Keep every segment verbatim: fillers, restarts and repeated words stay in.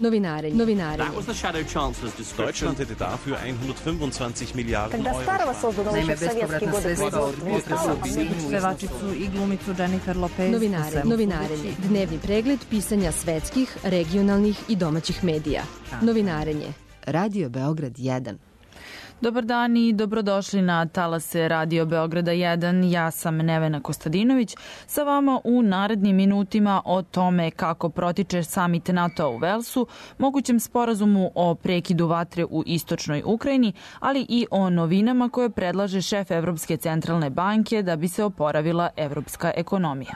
Novinarenje. Novinarenje. Deutschland hätte dafür hundertfünfundzwanzig Milliarden Euro. Naime, bespovratna sredstva od budžeta su objedinjuju pevačicu i glumicu Jennifer Lopez. Novinarenje. Novinarenje. Dnevni pregled pisanja svetskih, regionalnih i domaćih medija. Novinarenje. Radio Beograd jedan. Dobar dan i dobrodošli na talase Radio Beograda jedan. Ja sam Nevena Kostadinović. Sa vama u narednim minutima o tome kako protiče samit NATO u Velsu, mogućem sporazumu o prekidu vatre u istočnoj Ukrajini, ali i o novinama koje predlaže šef Evropske centralne banke da bi se oporavila evropska ekonomija.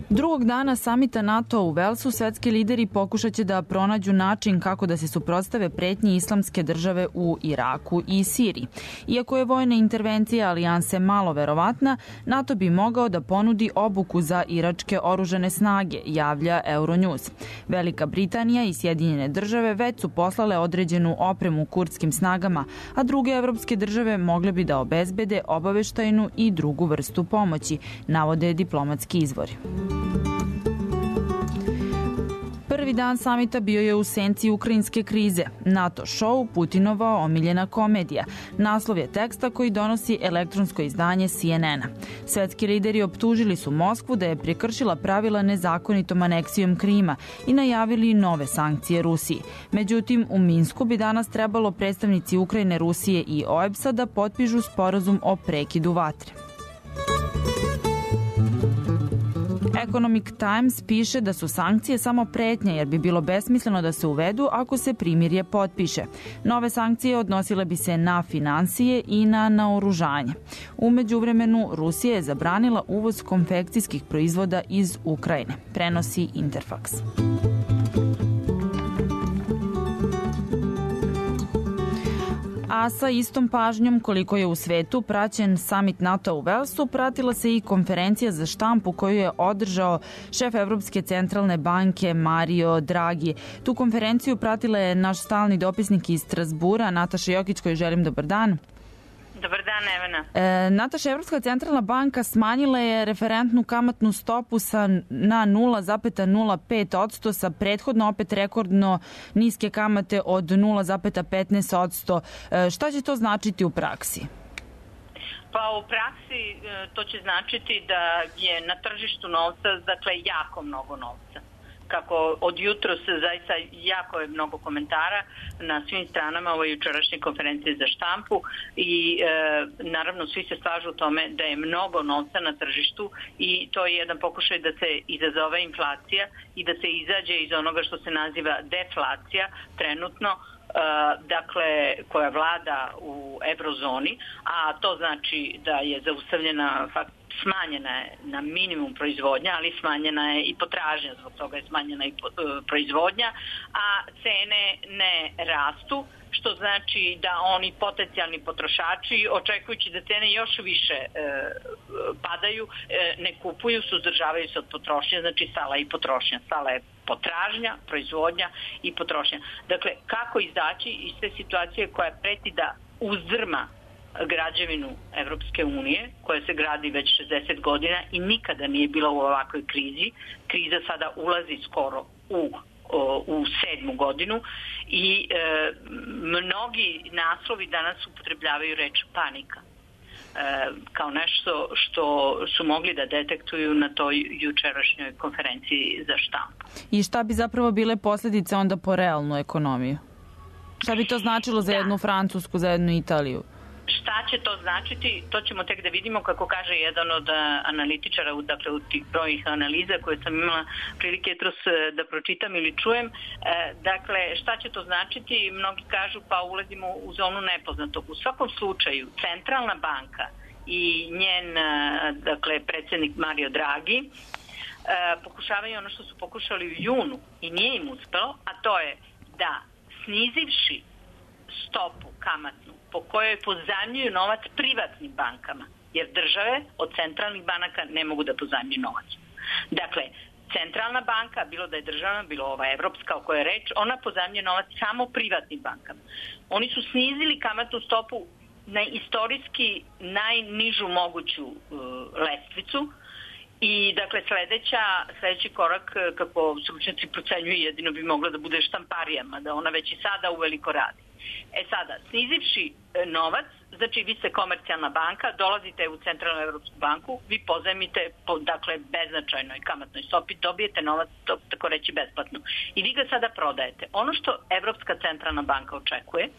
Drugog dana samita NATO u Velsu svetski lideri pokušat će da pronađu način kako da se suprotstave pretnji islamske države u Iraku i Siriji. Iako je vojna intervencija alijanse malo verovatna, NATO bi mogao da ponudi obuku za iračke oružane snage, javlja Euronews. Velika Britanija i Sjedinjene države već su poslale određenu opremu kurdskim snagama, a druge evropske države mogle bi da obezbede obaveštajnu i drugu vrstu pomoći, navode diplomatski izvori. Prvi dan samita bio je u senci ukrajinske krize. NATO show, Putinova omiljena komedija. Naslov je teksta koji donosi elektronsko izdanje C N N-a. Svetski lideri optužili su Moskvu da je prekršila pravila nezakonitom aneksijom Krima i najavili nove sankcije Rusiji. Međutim, u Minsku bi danas trebalo predstavnici Ukrajine, Rusije i O E B S-a da potpišu sporazum o prekidu vatre. Economic Times piše da su sankcije samo pretnja jer bi bilo besmisleno da se uvedu ako se primirje potpiše. Nove sankcije odnosile bi se na finansije i na naoružanje. U međuvremenu Rusija je zabranila uvoz konfekcijskih proizvoda iz Ukrajine, prenosi Interfax. A sa istom pažnjom koliko je u svetu praćen samit NATO u Velsu, pratila se i konferencija za štampu koju je održao šef Evropske centralne banke Mario Draghi. Tu konferenciju pratila je naš stalni dopisnik iz Strazbura, Nataša Jokić, koju želim dobar dan. Dobar dan, Evena. E, Nataša, Evropska centralna banka smanjila je referentnu kamatnu stopu sa, na nula zarez nula pet posto sa prethodno opet rekordno niske kamate od nula zarez petnaest posto. E, šta će to značiti u praksi? Pa u praksi to će značiti da je na tržištu novca, dakle, jako mnogo novca. Kako od jutros zaista jako je mnogo komentara na svim stranama ove jučerašnje konferencije za štampu i e, naravno svi se slažu u tome da je mnogo novca na tržištu i to je jedan pokušaj da se izazove inflacija i da se izađe iz onoga što se naziva deflacija trenutno, e, dakle koja vlada u eurozoni, a to znači da je zaustavljena fakt smanjena je na minimum proizvodnja, ali smanjena je i potražnja, zbog toga je smanjena i proizvodnja, a cene ne rastu, što znači da oni potencijalni potrošači, očekujući da cene još više e, padaju, e, ne kupuju, suzdržavaju se od potrošnje, znači stala je i potrošnja, stala je potražnja, proizvodnja i potrošnja. Dakle, kako izaći iz te situacije koja preti da uzdrma građevinu Evropske unije, koja se gradi već šezdeset godina i nikada nije bila u ovakvoj krizi. Kriza sada ulazi skoro u, u sedmu godinu i e, mnogi naslovi danas upotrebljavaju reč panika. E, kao nešto što su mogli da detektuju na toj jučerašnjoj konferenciji za štampu. I šta bi zapravo bile posljedice onda po realnu ekonomiju? Šta bi to značilo za jednu Francusku, za jednu Italiju? Šta će to značiti, to ćemo tek da vidimo, kako kaže jedan od analitičara, dakle u tih brojnih analiza koje sam imala prilike jutros da pročitam ili čujem. Dakle, šta će to značiti? Mnogi kažu pa ulazimo u zonu nepoznatog. U svakom slučaju, centralna banka i njen, dakle, predsjednik Mario Draghi pokušavaju ono što su pokušali u junu i nije im uspelo, a to je da snizivši stopu kamatnu po kojoj pozajmljuju novac privatnim bankama, jer države od centralnih banaka ne mogu da pozajmljuju novac. Dakle, centralna banka, bilo da je državna, bilo ova evropska o kojoj je reč, ona pozajmljuje novac samo privatnim bankama. Oni su snizili kamatnu stopu na istorijski najnižu moguću uh, lestvicu I dakle sledeća, sledeći korak, kako stručnjaci procenjuju, jedino bi mogla da bude štamparijama, da ona već i sada uveliko radi. E sada, snizivši novac, znači vi ste komercijalna banka, dolazite u Centralnu Evropsku banku, vi pozajmite po, dakle, beznačajnoj kamatnoj stopi, dobijete novac, to, tako reći, besplatno. I vi ga sada prodajete. Ono što Evropska centralna banka očekuje,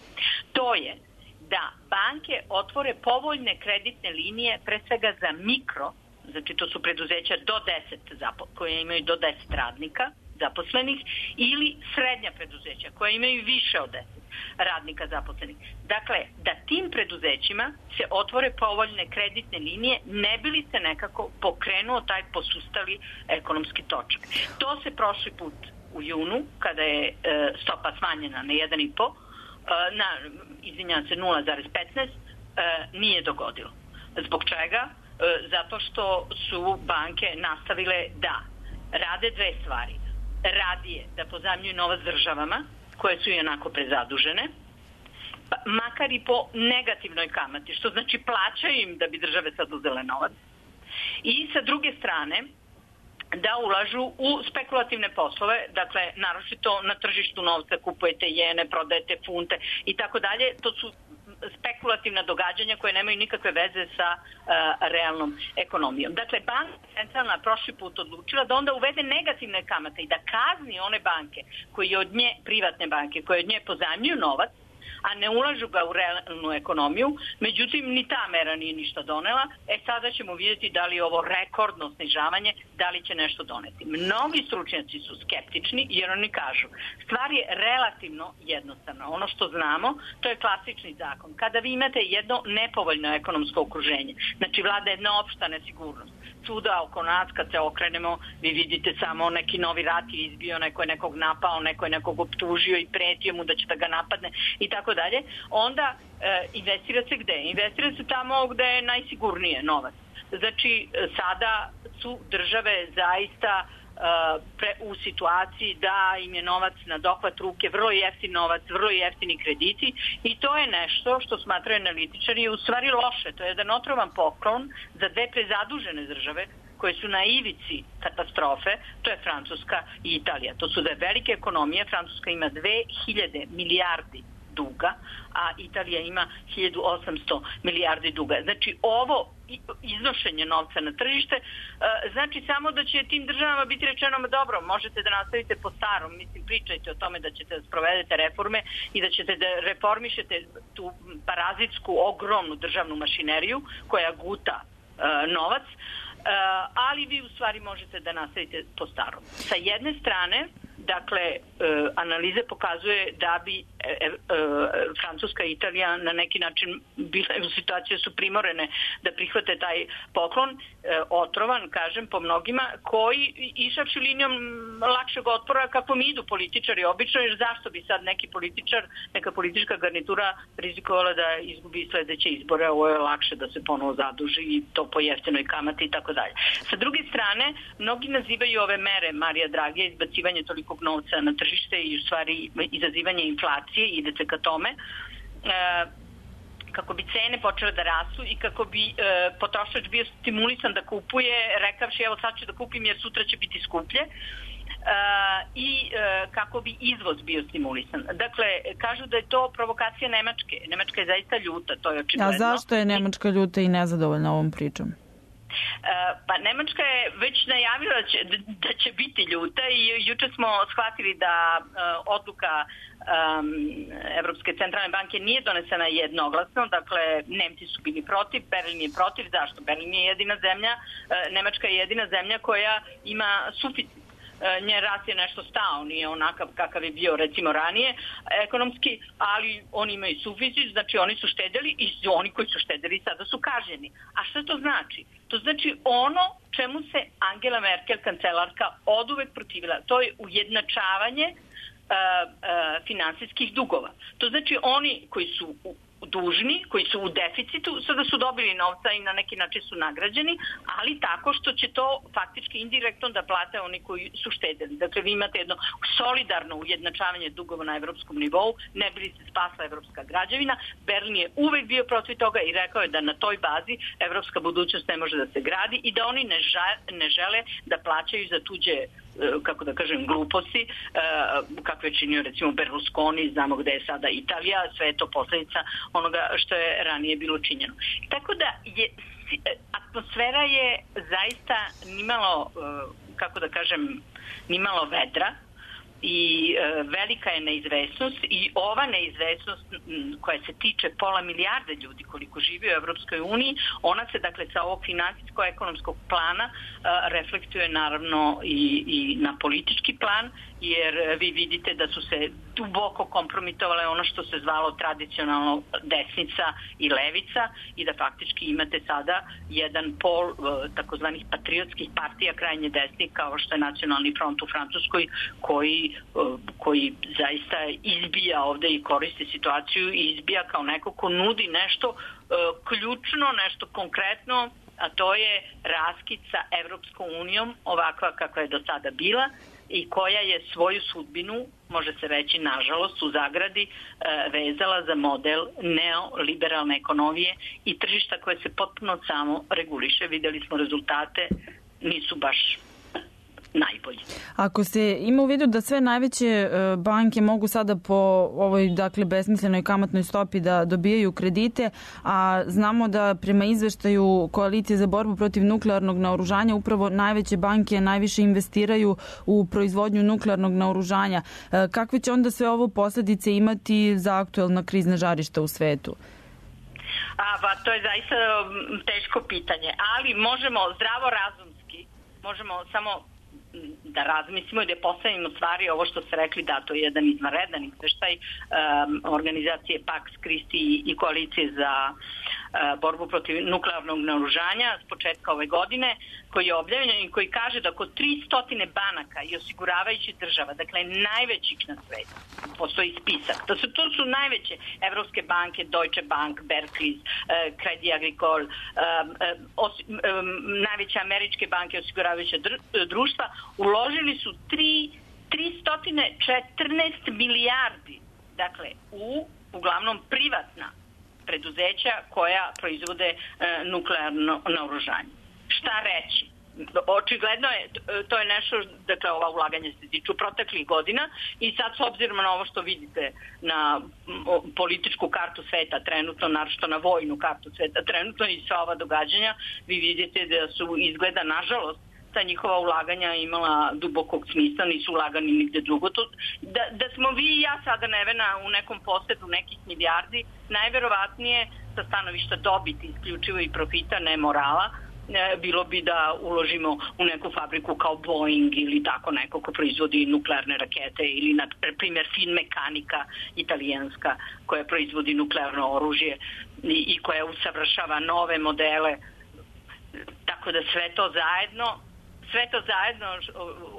to je da banke otvore povoljne kreditne linije, pre svega za mikro, znači to su preduzeća do deset, koje imaju do deset radnika zaposlenih, ili srednja preduzeća koja imaju više od deset radnika zaposlenih. Dakle, da tim preduzećima se otvore povoljne kreditne linije, ne bi li se nekako pokrenuo taj posustali ekonomski točak. To se prošli put u junu, kada je e, stopa smanjena na jedan i po, e, na, izvinjam se, nula zarez petnaest, e, nije dogodilo. Zbog čega? E, zato što su banke nastavile da rade dve stvari. Radije da pozajmljuju novac državama, koje su i onako prezadužene, pa, makar i po negativnoj kamati, što znači plaćaju im da bi države sad uzele novac. I sa druge strane, da ulažu u spekulativne poslove, dakle, naročito na tržištu novca kupujete jene, prodajete funte i tako dalje. To su spekulativna događanja koje nemaju nikakve veze sa uh, realnom ekonomijom. Dakle, banka centralna prošli put odlučila da onda uvede negativne kamate i da kazni one banke koje od nje, privatne banke, koje od nje pozajmljuju novac, a ne ulažu ga u realnu ekonomiju. Međutim, ni ta mera nije ništa donela. E sada ćemo vidjeti da li ovo rekordno snižavanje, da li će nešto doneti. Mnogi stručnjaci su skeptični jer oni kažu, stvar je relativno jednostavna. Ono što znamo, to je klasični zakon. Kada vi imate jedno nepovoljno ekonomsko okruženje, znači vlada jedna opšta nesigurnost, svuda oko nas kad se okrenemo, vi vidite samo neki novi rat je izbio, neko je nekog napao, neko je nekog optužio i pretio mu da će da ga napadne i tako dalje, onda e, investira se gde? Investira se tamo gde je najsigurnije novac. Znači, sada su države zaista e, pre, u situaciji da im je novac na dohvat ruke, vrlo jeftin novac, vrlo jeftini krediti i to je nešto što smatraju analitičari u stvari loše. To je jedan otrovan poklon za dve prezadužene države koje su na ivici katastrofe, to je Francuska i Italija. To su dve velike ekonomije, Francuska ima dve hiljade milijardi duga, a Italija ima hiljadu osamsto milijardi duga. Znači, ovo iznošenje novca na tržište znači samo da će tim državama biti rečeno, dobro, možete da nastavite po starom, mislim, pričajte o tome da ćete da sprovedete reforme i da ćete da reformišete tu parazitsku, ogromnu državnu mašineriju koja guta novac, ali vi u stvari možete da nastavite po starom. Sa jedne strane, dakle, e, analize pokazuje da bi e, e, Francuska i Italija na neki način bile u situaciji su primorene da prihvate taj poklon, e, otrovan, kažem, po mnogima, koji išavši linijom lakšeg otpora kako mi idu političari obično, jer zašto bi sad neki političar, neka politička garnitura rizikovala da izgubi sledeće izbore, ovo je lakše da se ponovo zaduži i to po jeftinoj kamati i tako dalje. Sa druge strane, mnogi nazivaju ove mere Marija Dragija, izbacivanje toliko novca na tržište i u stvari izazivanje inflacije, idete ka tome, e, kako bi cene počele da rastu i kako bi e, potrošač bio stimulisan da kupuje, rekavši evo sad ću da kupim jer sutra će biti skuplje, e, i e, kako bi izvoz bio stimulisan. Dakle, kažu da je to provokacija Nemačke. Nemačka je zaista ljuta, to je očigledno. A zašto je Nemačka ljuta i nezadovoljna ovom pričom? Pa Nemačka je već najavila da će, da će biti ljuta i juče smo shvatili da uh, odluka um, Evropske centralne banke nije donesena jednoglasno, dakle Nemci su bili protiv, Berlin je protiv. Zašto? Berlin je jedina zemlja, uh, Nemačka je jedina zemlja koja ima suficit. Njen rast je nešto stao, nije onakav kakav je bio recimo ranije ekonomski, ali oni imaju suficit, znači oni su štedeli i oni koji su štedeli sada su kažnjeni. A šta to znači? To znači ono čemu se Angela Merkel, kancelarka, oduvek protivila. To je ujednačavanje uh, uh, finansijskih dugova. To znači oni koji su dužni, koji su u deficitu, sada su dobili novca i na neki način su nagrađeni, ali tako što će to faktički indirektno da plate oni koji su štedeli. Dakle, vi imate jedno solidarno ujednačavanje dugova na evropskom nivou, ne bi li se spasla evropska građevina. Berlin je uvek bio protiv toga i rekao je da na toj bazi evropska budućnost ne može da se gradi i da oni ne, ža, ne žele da plaćaju za tuđe, kako da kažem, gluposti, kakve je činio recimo Berlusconi, znamo gde je sada Italija, sve je to posljedica onoga što je ranije bilo činjeno. Tako da je, atmosfera je zaista nimalo, kako da kažem, nimalo vedra i e, velika je neizvesnost i ova neizvesnost koja se tiče pola milijarde ljudi koliko živi u Evropskoj uniji, ona se dakle sa ovog finansijsko-ekonomskog plana e, reflektuje naravno i, i na politički plan, jer vi vidite da su se duboko kompromitovale ono što se zvalo tradicionalno desnica i levica i da faktički imate sada jedan pol takozvanih patriotskih partija krajnje desnih kao što je Nacionalni front u Francuskoj koji, koji zaista izbija ovde i koristi situaciju i izbija kao neko ko nudi nešto ključno, nešto konkretno, a to je raskid sa Evropskom unijom ovakva kakva je do sada bila i koja je svoju sudbinu, može se reći nažalost, u zagradi vezala za model neoliberalne ekonomije i tržišta koje se potpuno samo reguliše. Videli smo rezultate, nisu baš najbolji. Ako se ima u vidu da sve najveće banke mogu sada po ovoj dakle besmislenoj kamatnoj stopi da dobijaju kredite, a znamo da prema izveštaju Koalicije za borbu protiv nuklearnog naoružanja upravo najveće banke najviše investiraju u proizvodnju nuklearnog naoružanja. Kakve će onda sve ovo posljedice imati za aktuelna krizna žarišta u svetu? A, pa to je zaista teško pitanje, ali možemo zdravo razumski, možemo samo da razmislimo i da postavimo stvari ovo što ste rekli, da to je jedan izvanredan izveštaj um, organizacije Pax Christi i koalicije za uh, borbu protiv nuklearnog naoružanja s početka ove godine, koji je objavljen i koji kaže da oko tristo banaka i osiguravajućih država, dakle najvećih na svetu, postoji spisak. To su, to su najveće evropske banke, Deutsche Bank, Barclays, uh, Credit Agricole, um, um, um, najveće američke banke osiguravajuća dr- društva, uložili su tristo četrnaest milijardi, dakle, u uglavnom privatna preduzeća koja proizvode e, nuklearno naoružanje. Šta reći? Očigledno je, to je nešto, dakle, ova ulaganja se tiču proteklih godina i sad s obzirom na ovo što vidite na političku kartu sveta trenutno, naročito na vojnu kartu sveta trenutno i sva ova događanja, vi vidite da su izgleda, nažalost, ta njihova ulaganja imala dubokog smisla, nisu ulagani nigde drugo. To, da, da smo vi i ja sada Nevena u nekom posedu nekih milijardi, najverovatnije sa stanovišta dobiti isključivo i profita, ne morala, bilo bi da uložimo u neku fabriku kao Boeing ili tako neko ko proizvodi nuklearne rakete ili na primjer Finmekanika italijanska koja proizvodi nuklearno oružje i, i koja usavršava nove modele. Tako da sve to zajedno Sve to zajedno,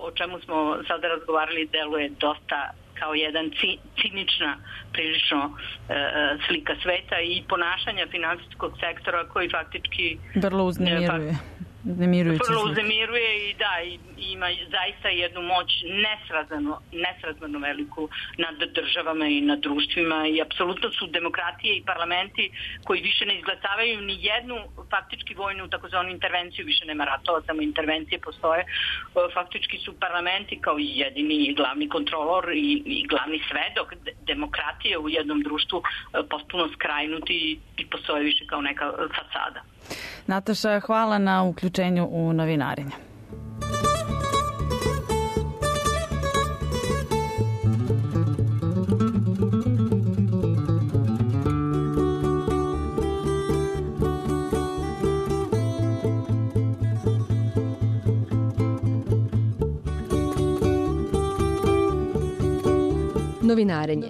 o čemu smo sada razgovarali, deluje dosta kao jedan cinična prilično e, slika sveta i ponašanja finansijskog sektora koji faktički vrlo uznemiruje. Vrlo uznemiruje i da, i, ima zaista jednu moć nesrazmjerno, nesrazmjerno veliku nad državama i nad društvima i apsolutno su demokratije i parlamenti koji više ne izglasavaju ni jednu faktički vojnu takozvanu intervenciju, više nema ratova, samo intervencije postoje. Faktički su parlamenti kao i jedini glavni kontrolor i, i glavni svedok demokratije u jednom društvu potpuno skrajnuti i postoje više kao neka fasada. Nataša, hvala na uključenju u novinarenje. Novinarenje.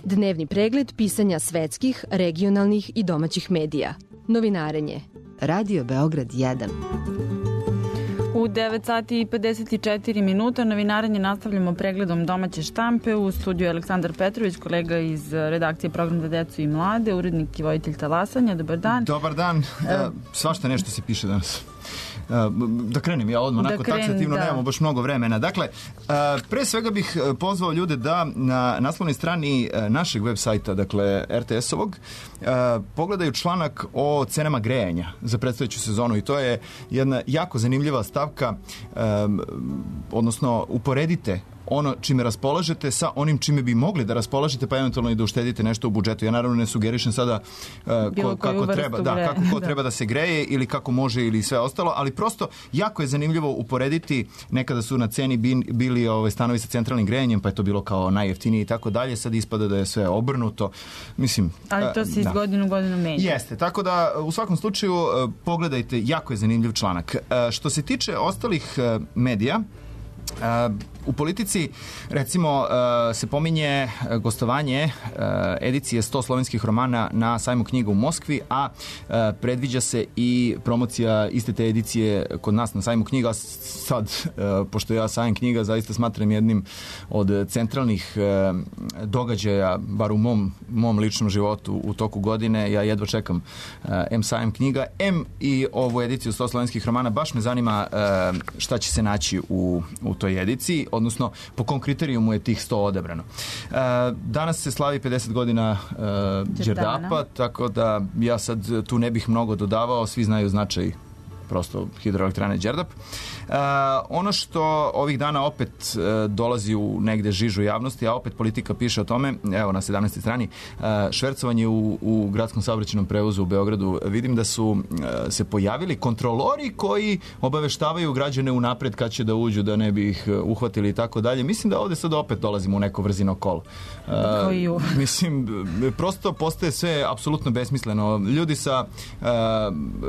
Dnevni pregled pisanja svetskih, regionalnih i domaćih medija. Novinarenje. Radio Beograd jedan. U U devet sati i pedeset četiri minuta novinarenje nastavljamo pregledom domaće štampe. U studiju Aleksandar Petrović, kolega iz redakcije Program za decu i mlade, urednik i voditelj Talasanja. Dobar dan. Dobar dan. E, svašta nešto se piše danas. Da krenem ja odmah, onako taksativno, nemamo baš mnogo vremena. Dakle, pre svega bih pozvao ljude da na naslovnoj strani našeg web sajta, dakle er te es-ovog, pogledaju članak o cenama grejanja za predstojeću sezonu i to je jedna jako zanimljiva stavka, odnosno uporedite ono čime raspolažete sa onim čime bi mogli da raspolažete, pa eventualno i da uštedite nešto u budžetu. Ja naravno ne sugerišem sada uh, ko, kako, treba, da, kako ko treba da se greje ili kako može ili sve ostalo, ali prosto jako je zanimljivo uporediti. Nekada su na ceni bili ove, stanovi sa centralnim grejanjem, pa je to bilo kao najjeftinije i tako dalje. Sad ispada da je sve obrnuto. Mislim, ali to se iz da. godinu u godinu menja. Jeste, tako da u svakom slučaju pogledajte, jako je zanimljiv članak. Što se tiče ostalih medija, Uh, u Politici, recimo, uh, se pominje gostovanje uh, edicije sto slovenskih romana na sajmu knjiga u Moskvi, a uh, predviđa se i promocija iste te edicije kod nas na sajmu knjiga. Sad, uh, pošto ja sajam knjiga zaista smatram jednim od centralnih uh, događaja, bar u mom, mom ličnom životu u toku godine, ja jedva čekam uh, em sajam knjiga, em i ovu ediciju sto slovenskih romana. Baš me zanima uh, šta će se naći u, u toj ediciji, odnosno po kom kriterijumu je tih sto odabrano. E, danas se slavi pedeset godina e, Đerdapa, tako da ja sad tu ne bih mnogo dodavao, svi znaju značaj prosto hidroelektrane Đerdap. E, ono što ovih dana opet e, dolazi u negde žižu javnosti, a opet Politika piše o tome, evo na sedamnaestoj strani, e, švercovanje u, u gradskom saobraćajnom prevozu u Beogradu. Vidim da su e, se pojavili kontrolori koji obaveštavaju građane unapred kad će da uđu, da ne bi ih uhvatili i tako dalje. Mislim da ovde sad opet dolazimo u neko vrzino kolo. E, mislim, prosto postaje sve apsolutno besmisleno. Ljudi sa e,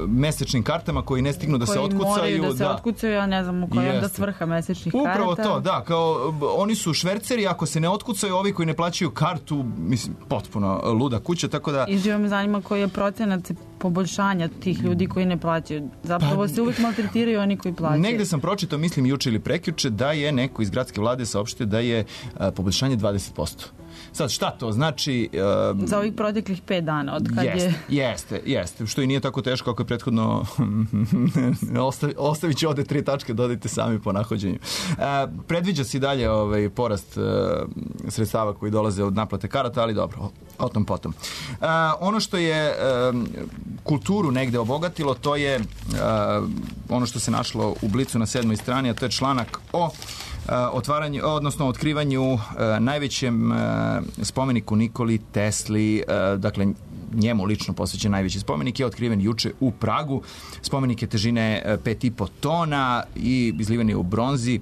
mesečnim kartama koji ne stignu da koji se otkucaju. Moraju da se da. otkucaju, ja ne znam u kojem da svrha mesečnih karata. Upravo to, da, kao oni su šverceri, ako se ne otkucaju, ovi koji ne plaćaju kartu, mislim, potpuno luda kuća, tako da... I živo me zanima koji je procenat poboljšanja tih ljudi koji ne plaćaju. Zapravo pa, se uvijek maltretiraju oni koji plaćaju. Negde sam pročitao, mislim, juče ili prekjuče, da je neko iz gradske vlade saopštio da je a, poboljšanje dvadeset posto. Sad, šta to znači? Um, Za ovih proteklih pet dana, od kad jeste, je... Jeste, jeste, što i nije tako teško ako je prethodno ostavi, ostavit će ovde tri tačke, dodajte sami po nahođenju. Uh, predviđa se i dalje ovaj, porast uh, sredstava koji dolaze od naplate karata, ali dobro, o tom potom. Uh, ono što je um, kulturu negde obogatilo, to je uh, ono što se našlo u Blicu na sedmoj strani, a to je članak o otvaranju, odnosno otkrivanju uh, najvećem uh, spomeniku Nikoli Tesli, uh, dakle njemu lično posvećen najveći spomenik je otkriven juče u Pragu. Spomenik je težine uh, pet i po tona i izliven je u bronzi.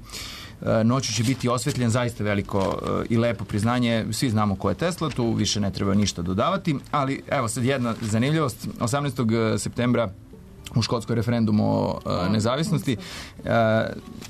Uh, noću će biti osvetljen, zaista veliko uh, i lepo priznanje. Svi znamo ko je Tesla, tu više ne treba ništa dodavati, ali evo sad jedna zanimljivost. osamnaestog septembra u škotskoj referendumu o uh, nezavisnosti. Uh,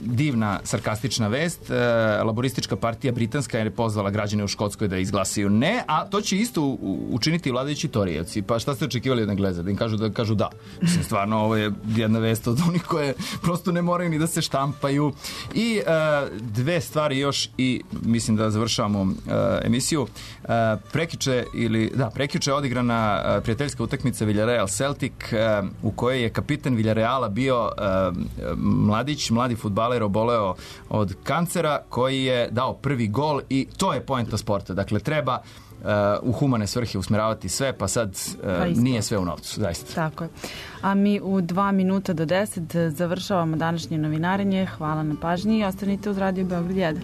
divna, sarkastična vest. Uh, laboristička partija britanska je pozvala građane u Škotskoj da izglasaju ne, a to će isto u, učiniti vladajući Torijevci. Pa šta ste očekivali od Engleza? Da im kažu da kažu da. Mislim, stvarno, ovo je jedna vest od onih koje prosto ne moraju ni da se štampaju. I uh, dve stvari još i mislim da završavamo uh, emisiju. Uh, prekjuče ili, da, prekjuče je odigrana uh, prijateljska utakmica Villarreal Celtic uh, u kojoj je kapitan Villarreala bio uh, mladić, mladi fudbaler oboleo od kancera koji je dao prvi gol i to je poenta sporta. Dakle, treba uh, u humane svrhe usmeravati sve, pa sad uh, nije sve u novcu, zaista. Tako je. A mi u dva minuta do deset završavamo današnje novinarenje. Hvala na pažnji i ostanite uz Radio Beograd jedan.